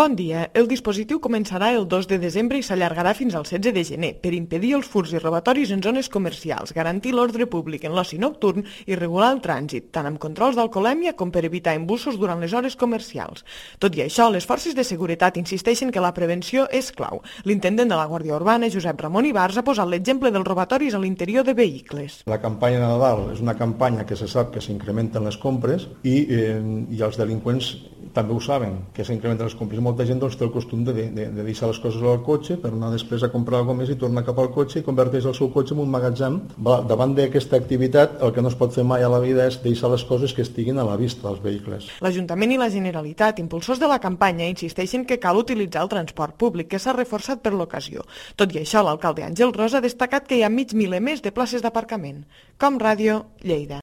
Bon dia. El dispositiu començarà el 2 de desembre i s'allargarà fins al 16 de gener per impedir els furts i robatoris en zones comercials, garantir l'ordre públic en l'oci nocturn i regular el trànsit, tant amb controls d'alcoholèmia com per evitar embussos durant les hores comercials. Tot i això, les forces de seguretat insisteixen que la prevenció és clau. L'intendent de la Guàrdia Urbana, Josep Ramon Ibars, ha posat l'exemple dels robatoris a l'interior de vehicles. La campanya de Nadal és una campanya que se sap que s'incrementen les compres i els delinqüents també ho saben, que s'incrementen les compres. Molta gent té el costum de deixar les coses al cotxe per anar després a comprar alguna més i tornar cap al cotxe i converteix el seu cotxe en un magatzem. Davant d'aquesta activitat, el que no es pot fer mai a la vida és deixar les coses que estiguin a la vista dels vehicles. L'Ajuntament i la Generalitat, impulsors de la campanya, insisteixen que cal utilitzar el transport públic, que s'ha reforçat per l'ocasió. Tot i això, l'alcalde Àngel Ros ha destacat que hi ha mig miler més de places d'aparcament. Com Ràdio, Lleida.